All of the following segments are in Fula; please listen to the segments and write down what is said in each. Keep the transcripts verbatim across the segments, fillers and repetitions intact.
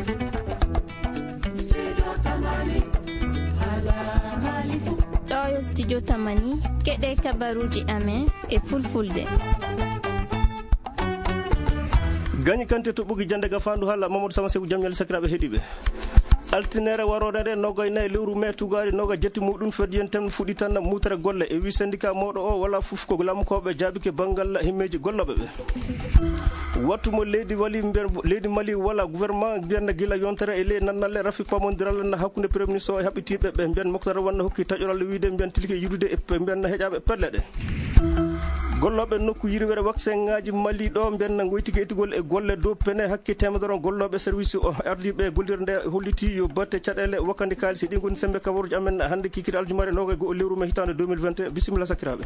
Ɗo yo studio Tamani, keɗe kabaruuji amen e fulfulde. Gañi kante toɓɓuki jannde ga faandu haala Mamadou Sama Seku, jam ñalle sakiraaɓe heɗiiɓe. Altinere waroore nde, noga e nayi lewru mai, tugaari noga jetti muɗum, fedde yen tem fuɗɗitan mutere golle. E wi syndicat mawɗo o, wala fof ko laamukooɓe jaabike banngal himmeeji gollooɓe ɓe. Wattu mo leydi wali mbiyen, leydi Mali wala gouvernement mbiyen gila yontere e ley nannalle rafi pamondiral na hakkunde premier ministre o e haɓɓitiiɓe ɓe mbiyen Moctar Wade hokki taƴoral wiide mbiyen tilki yiɗude e pe-, mbiyen heƴaaɓe pelle ɗe. Gollooɓe nokku yirwere waksenŋaaji Mali ɗo mbiyen na ngoyti etugol e golle dow pene hakke teemedere gollooɓe service o ardiiɓe gollirde nde holliti yo batte caɗeele wakkande kaalisi ɗi ngoni sembe kabaruuji amen hannde kikiiɗe aljumare noga e go'o lewru mai hitaande deux mille vingt et un. Bisimilla sakiraaɓe.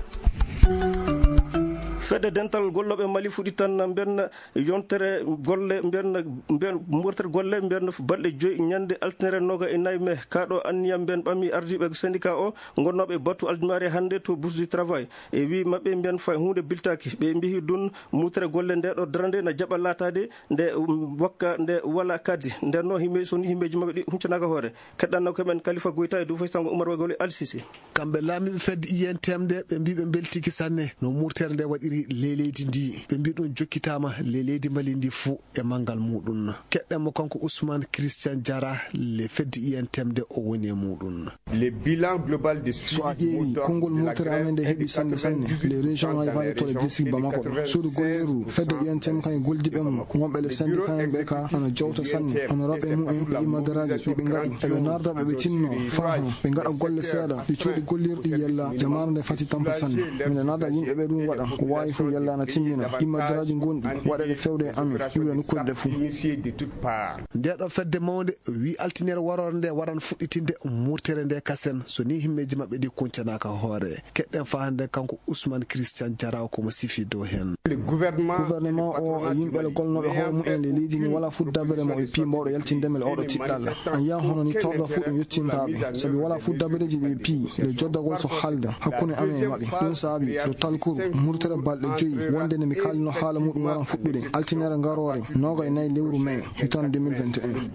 Fedde dental gollooɓe Mali fuɗɗitan mbiyen yontere golle mbiyen, mbiyen murtere golle mbiyen balɗe joyi ñande altinere noga e nayi mai. Kaɗo anniya mbiyen ɓami ardiiɓe syndicat o gonnooɓe batu aljumare hannde to Bourse du Travail. E wi maɓɓe mbiyen fay huunde biltaaki. Ɓe mbiyi ɗum murtere golle nde ɗo darande na jaɓa laataade nde, um, wakka nde wala kaddi. Nden no himɓe, so ni himɓeji maɓɓe ɗi huncanaaka hoore. Keɗɗanno ko men Khalifa Goita e dow faysango Oumar Wagole Al Sisi. Kamɓe laamiiɓe fedde I N T M nde, ɓe mbii ɓe mbeltiiki sanne no murtere nde waɗiri ley leydi ndi. Ɓe mbii ɗum jokkitaama ley leydi Mali ndi fuu e manngal muuɗum. Keɗɗen mo kanko Ousmane Christian Diarra, le fedde I N T M nde o woni e muuɗum. Le bilan global de suivi. So a ƴeewi, konngol murtere amen nde heɓi sanne sanne, les régions ngaji faa yettoɗo district Bamako ɗo. Suudu gollirdu fedde I N T M kañum e gollidiiɓe mum, wonɓe le syndicat en ɓe ka ana jowta sanne, hono raɓɓe mumen e imadaraaji ɗi ɓe ngaɗi. Eɓe narda ɓe, ɓe tinno faa ɓe ngaɗa golle seeɗa, ɗi cuuɗi gollirɗi yalla jamaare nde fati tampa sanne. Mine narda yimɓe ɓe ɗum waɗa, ko waawi fof yalla ana timmina. Imadaraaji gonɗi waɗeɗe fewde e amen, iwde nokkuuji ɗe fof. Nde ɗo fedde mawnde wi altinere waroore nde waran fuɗɗitinde murtere nde kasen, so ni himmeeji maɓɓe ɗi kuncanaaka hoore. Keɗɗen faa hannde kanko Ousmane Christian Diarra ko mo sifi dow heen. Gouvernement o e yimɓe le golnooɓe hoore mumen le leydi ni wala fof dabere mo e pii mbawɗo yaltinde men le oɗo tiɗɗalla. A yiyan hono ni torda fof ɗum yettintaɓe. Sabi wala fof dabereji ɗi pii le joddagol so haalda hakkunde amen e maɓɓe. Ɗum saabi yo talkuru murtere balɗe joyi wonde nde mi kaalino haala muɗum waran fuɗɗude altinere ngaroore noga e nayi lewru mai. Hitande deux mille vingt et un.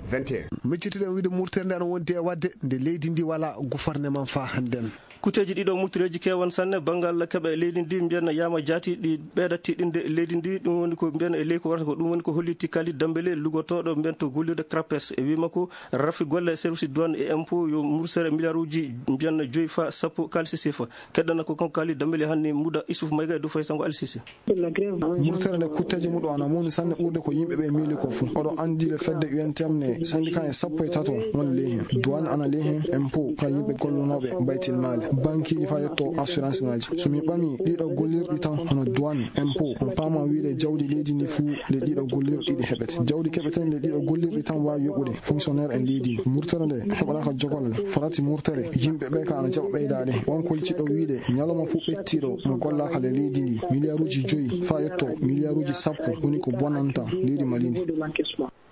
Miccitiɗen wiide murtere nde ana wondi e waɗde nde leydi ndi wala gouvernement faa hannden. Kuteeji ɗiɗo murtireeji keewan sanne banngal keɓe leydi ndi mbiyanna yaama jaati ɗi ɓeeɗa tiɗɗinde leydi ndi. Ɗum woni ko mbiyan e ley ko warata ko ɗum woni ko holli Tikali Dambele lugotooɗo mbiyan to gollirde CRAPES e wii makko rafi golle service douane et impôt yo mursere milliarduji mbiyanna joyi fa sappo kaalisi sefa. Keɗɗana ko kanko Kali Dambele hanni muda Isuf Mayga e dow fay sango Alsisi. Murtere nde kutteeji muɗum ana mawni sanne ɓurde ko yimɓe ɓe miili ko fuu. Oɗo anndi le fedde U N T M ne syndicat e sappo e tato woni ley heen. Douane ana ley heen, impôt faa yimɓe gollunooɓe baytil maali, bankiiji faa yetto assurance ngaaji. So min ɓamii ɗiɗo gollirɗi tan hono douane, impôt, on paama wiide jawdi leydi ndi fuu le ɗiɗo gollirɗi ɗi heɓete. Jawdi keɓeten le ɗiɗo gollirɗi tan waawi yoɓude fonctionnaire en leydi ndi. Murtere nde heɓanaaka jogol farati murtere. Yimɓe ɓe ka ana jaɓa ɓeydaade. On kollitii ɗo wiide ñalawma fof ɓettiiɗo mo gollaaka le leydi ndi, miliyaaruuji joyi faa yetto miliyaaruuji sappo woni ko bonanta leydi Mali ndi.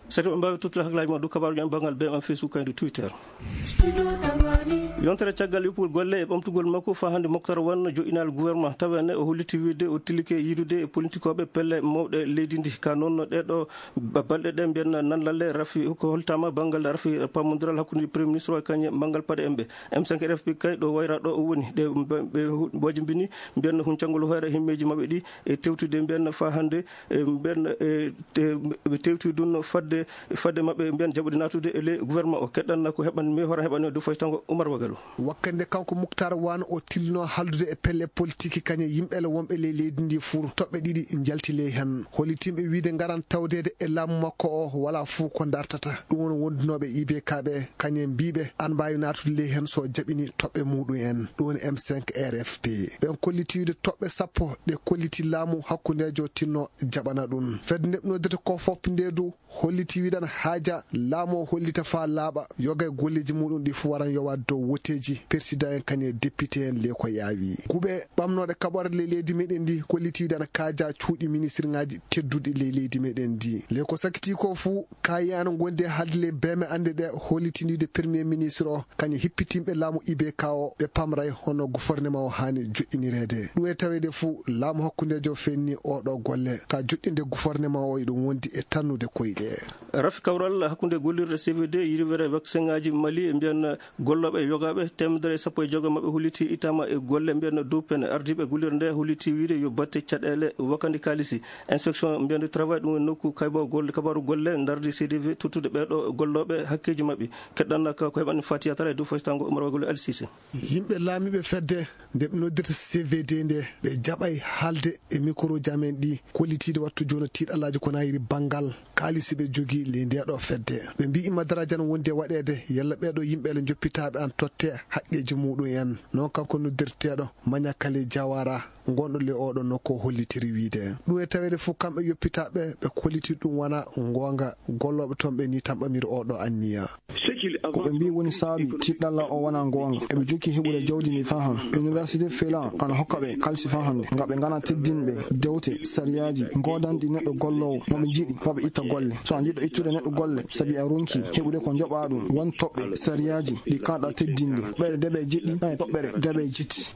Saɗi ɓe mbaawi tottude hakkillaaji ma dow kabaaruuji am banngal B M F Facebook kaydi Twitter. Yontere caggal yoppugol golle e ɓamtugol makko faa hannde Moctar Wan joƴƴinaali gouvernement tawene o holliti wiide o tilike yiidude e politikooɓe pelle mawɗe leydi ndi. Ka noon ɗeɗo ba-, balɗe ɗe mbiyan nanlalle rafi ko holtaama banngal rafi pamondiral hakkunde premier ministre o e kañe banngal paɗe en ɓe. M cinq R F P kay ɗo wayra ɗo o woni ɗe ɓe, ɓe hu-, wajimbini mbiyan huncangol hoore himmeeji maɓɓe ɗi e tewtude mbiyan faa hannde e mbiyan e te-, ɓe tewti ɗum fadde, fadde maɓɓe mbiyan jaɓude naatude e ley gouvernement o. Keɗɗan ko heɓan mi hoore heɓan dow faytango Oumar Wagalo. Wakkande kanko Muktar Wan o tilno haldude e pelle politiki kañe yimɓe le wonɓe ley leydi ndi fuu toɓɓe ɗiɗi njalti ley heen. Hollitimɓe wiide ngaran tawdeede e laamu makko o wala fuu ko dartata. Ɗum woni wondunooɓe I B K ɓe kañe mbiiɓe an mbaawi naatude ley heen so jaɓini toɓɓe muɗum en. Ɗum woni M cinq R F P. Ɓen kolliti wiide toɓɓe sappo ɗe kolliti laamu hakkundeejo tinno jaɓana ɗum. Fedde nde ɓe noddata ko fop nde du holliti wiɗan haaja laamu o hollita faa laaɓa yoga e golleeji muɗum ɗi fuu waran yowaade dow woteeji persidan en kañe député en le ko yaawi. Kuuɓe ɓamnooɗe kaɓore le leydi meɗen ndi kolliti wiɗan kaaja cuuɗi ministre ngaji tedduɗi le leydi meɗen ndi. Le ko sakiti ko fuu kayi ana gondi e haalde le beme annde ɗe hollitini wiide premier ministre o kañe hippitinɓe laamu I B K o ɓe pamray hono gouvernement o haani joƴƴinireede. Ɗum e taweede fuu laamu hakkundeejo fenni oɗo golle ka joƴƴinde gouvernement o eɗum wondi e tannude koyɗe. Rafi kawral hakkunde gollirde C V D, yirwere vaccin ngaji Mali, mbiyan gollooɓe yogaaɓe teemedere e sappo e jogo maɓɓe holliti ittama e golle, mbiyan dow pen. Ardiiɓe gollirde nde holliti wiide yo batte caɗeele wakandi kaalisi. Inspection mbiyan du travail, ɗum woni nokku kaybo golle, kabaru golle, ndardi C D V tottude ɓeeɗo gollooɓe hakkeeji maɓɓe. Keɗɗan ka ko heɓani Fatiya Tara e dow faytango Umar Wagolo Al Sise. Yimɓe laamiiɓe fedde nde ɓe noddirta C V D nde, ɓe jaɓay haalde e mikroji amen ɗi, kollitiiɗe wattu jooni tiiɗalaaji ko nayiri banngal kaalisi ɓe jogii ley ndeeɗo fedde. Ɓe mbiyi ma darajan wonde waɗeede, yalla ɓeeɗo yimɓe le njoppitaaɓe an totte haqqeeji muɗum en. Noon kanko noddirteeɗo Mañakale Jawara, ngonɗo le oɗo nokku o hollitiri wiide. Ɗum e taweede fof kamɓe yoppitaaɓe ɓe kolliti ɗum wona ngoonga, gollooɓe toon ɓe ni tamɓamiri oɗo anniya. Ko ɓe mbii woni saabi tiiɗalla o wona ngoonga. Eɓe jokki heɓude jawdi ndi faa han. Université Fela ana hokka ɓe kalsi faa hannde. Nga ɓe ngana teddinɓe dewte, sariyaaji, goodanɗi neɗɗo golloowo mo ɓe njiɗi faa ɓe itta golle. So a njiɗɗo ittude neɗɗo golle, sabi a ronki heɓude ko njoɓaa ɗum, won toɓɓe, sariyaaji, ɗi kaaɗa teddinde. Toɓɓere deɓe jeɗɗi, e toɓɓere deɓe jetti.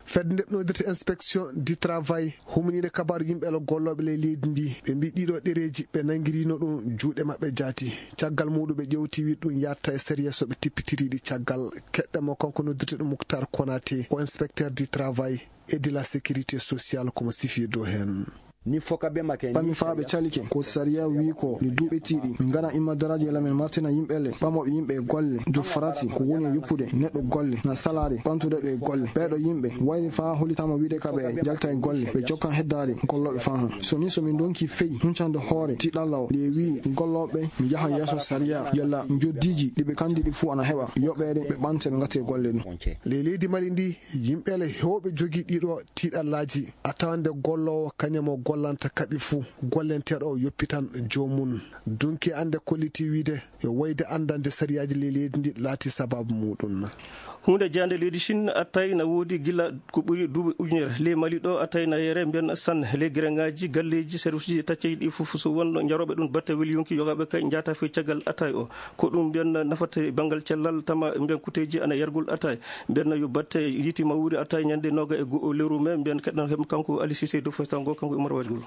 Fedde nde noddirta inspection du travail, humaniiɗe kabaaru yimɓe ala gollooɓe ley leydi ndi, ɓe mbii ɗiɗo ɗereeji ɓe nanngirino ɗum juuɗe maɓɓe jaati. Caggal muɗum ɓe ƴewti wiide ɗum yaatta e sariya so ɓe tippitiriɗi caggal. Keɗɗe mo kanko noddirteeɗo Muktar Konate, o inspecteur du travail et de la sécurité sociale, komo sifi dow heen. Ɓami faa ɓe calike ko sariya wii ko le duuɓe tiiɗi. Min ngana imma daraaji e lamen martina yimɓe le ɓamooɓe yimɓe e golle. Du farati ko woni e yoppude neɗɗo golle na salaade ɓamtude ɗo e golle. Ɓeeɗo yimɓe wayri faa hollitaama wiide ka ɓe njalta e golle, ɓe jokkan heddaade gollooɓe faa han. So ni so min ndonki fey huncande hoore tiiɗalla o, nde wii gollooɓe mi yahan yeeso sariya, yalla njoddiiji ɗi ɓe kandi ɗi fuu ana heɓa yoɓeede, ɓe ɓamte ɓe ngatte golle ɗum. Ley leydi Mali ndi, yimɓe le heewɓe jogii ɗiɗo tiiɗallaaji, a tawande golloowo kañum o gollanta kaɓi fuu, gollenteeɗo o yoppitan joomum. Dunki annde kolliti wiide yo wayde anndande sariyaaji ley leydi ndi laati sabaabu muɗum. Huunde jeyaande leydi Chine, attay na woodi gila ko ɓuri duuɓi ujunere. Ley Mali ɗo, attay na yere mbiyan san ley gereŋaaji, galleeji, serviceji tacceeji ɗi fof, so won jarooɓe ɗum batte weli yonki yogaaɓe kay njaata fey caggal attay o. Ko ɗum mbiyan nafata banngal cellal, tama mbiyan kuteeji ana yargol attay. Mbiyan yo batte yiiti mawri attay ñande nooga e go'o lewru me, mbiyan keɗɗan heɓ kanko Ali Cissé dow faytango kanko Umar Wajgol.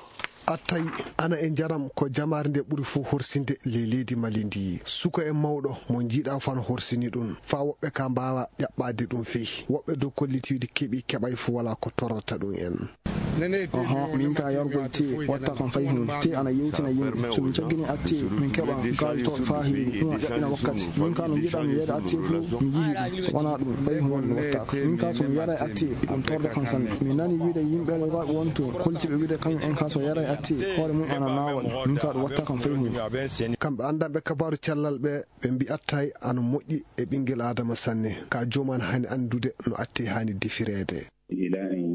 Attay ana e njaram ko jamaare nde ɓuri fof horsinde ley leydi Mali ndi. Suka e mawɗo mo njiiɗa fof ana horsini ɗum, faa woɓɓe ka mbaawa ƴaɓɓaade ɗum fey. Woɓɓe dow kolliti wiide keɓi keɓay fof walaa ko torrata ɗum en. Oho, min ka yargol tee watta kam fay huunde. Tee ana yewtina yimɓe. So min caggini attee, min keɓa kaaltooɓe faa heewi. Ɗum a ƴaɓɓina wakkati. Min ka no njiɗa mi yeeyde attee fof, mi yihi ɗum. So wanaa ɗum, fay huunde mi wattaaka. Min ka so mi yaray attee, ɗum torda kam sanne. Mi nani wiide yimɓe rewaaɓe won toon, koltiiɓe wiide kañum en ka so yaray attee, hoore mum ana naawa ɗum. Min ka ɗum watta kam fay huunde. Kamɓe anndanɓe kabaaru cellal ɓe, ɓe mbii attay ana moƴƴi e ɓinngel aadama sanne. Ka joom an haani anndude no attee haani defireede.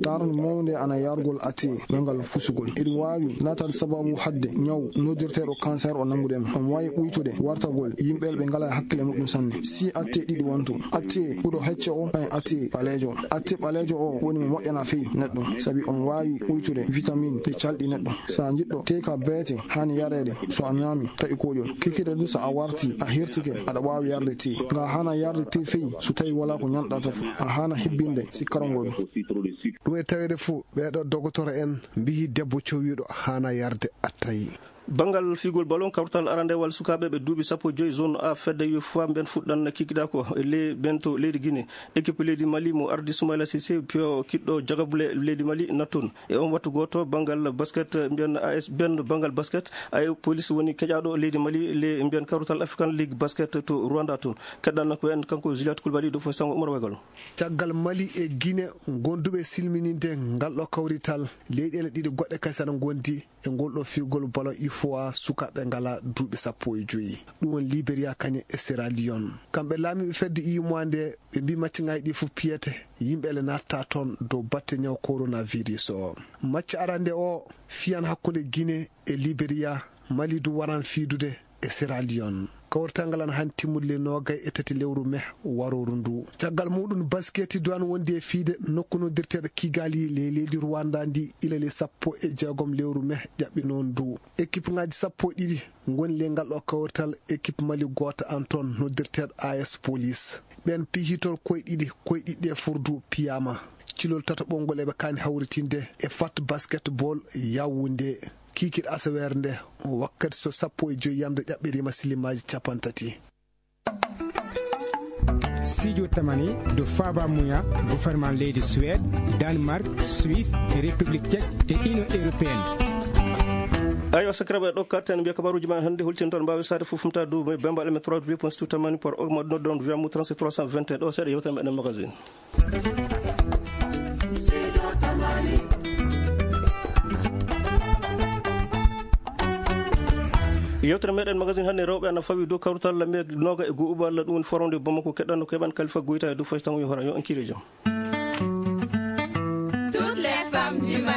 Taarno mawnde ana yargol attee, ɓe ngal fusugol. Eɗum waawi laataade sababu haɗde ñaw noddirteeɗo cancer o nanngude ma. Omo waawi ɓuytude wartagol yimɓe ɓe ngalaa hakkille muɗum sanne. Si attee ɗiɗi wonto, attee ɓuɗo hecce o, kañum attee ɓaleejo o. Attee ɓaleejo o woni mo moƴƴana fey neɗɗo, sabi omo waawi ɓuytude vitamine ɗi calɗi neɗɗo. So a njiɗɗo tee ka beete haani yareede, so a ñaami taƴi koƴol. Kikiiɗe du so a warti, a hirtike, aɗa waawi yarde tee. Nga haana yarde tee fey, so tawi walaa ko ñanɗata fof. A haana hebbinde sikkarol ngol. Ɗum e taweede fof, ɓeeɗo dogotoro en mbiyi debbo cowiiɗo haana yarde attay. Banngal figol ballon, kawtal arandewal sukaaɓe ɓe duuɓi sappo e joy zone A fedde U F O A mben fuɗɗan kikiɗa ko e le-, bento leydi Guinée. Équipe leydi Mali mo ardi Soumaïla Cissé, piyo kiɗɗo jagabule leydi Mali natton. E on wattu gooto, banngal basket, mbiyan A S, ben banngal basket, ay police woni keƴaaɗo leydi Mali, le mbiyan kawrital African League Basket to Rwanda toon. Keɗɗan ko en kanko Juliette Koulibaly, dow fof sango Umar Wagalo. Caggal Mali e Guinée, gonduɓe silmininde ngal ɗo kawrital, leyɗeele ɗiɗi goɗɗe kadi sana ngondi e ngol ɗo figol ballon U F O A sukaaɓe ngala duuɓi sappo e joyi. Ɗum woni Liberia kañum e Sierra Leone. Kamɓe laamiiɓe fedde U M O A nde, ɓe mbii maccaŋaaji ɗi fof piyete, yimɓe ele natta toon dow batte ñaw coronavirus o. Macca arande o fiyan hakkunde Guinée e Liberia, Mali du waran fiidude e Sierra Leone. Kawrital ngal ana haani timmude le noogay e tati lewru me warooru ndu. Caggal muɗum, basketi du ana wondi e fiide nokku noddirteeɗo Kigali ley leydi Rwanda ndi ila le sappo e jeegom lewru me ƴaɓɓi noon ndu. Équipe ŋaaji sappo e ɗiɗi ngoni le ngal ɗo kawrital, équipe Mali gooto an toon noddirteeɗo A S Police. Ɓeen piyi toon koye ɗiɗi, koye ɗiɗi ɗe furdu piyaama. Cilol tataɓol ngol eɓe kaani hawritinde e Fat Basketball Yaoundé. kiikiiɗe asaweere nde, wakkati so sappo e joy yamde ƴaɓɓiriima silimaaji cappanɗe tati. Siijo tamani do faaba muya gouvernement leydi Suède, Danemark, Suisse, République Tchèque e Union Européenne. Aywa, sakiraaɓe, ɗo katten mbiya kabaruuji men hannde, hultintal mbaawi saade fof fumta dow bembaɗe men trois point two tamani par ogma ɗum ɗon wiyamu trente trois cent vingt et un ɗo seeɗa yewtere meɗen magazine. Yewtere meɗen magazine hannde rewɓe ana fawi dow kawrital lamme noga e guuɓa Allah ɗum woni forum de Bamako keɗɗanno ko heɓan Kalifa Goyta e dow faytamu yo horan yo en kiire jam. Toutes les femmes du Mali.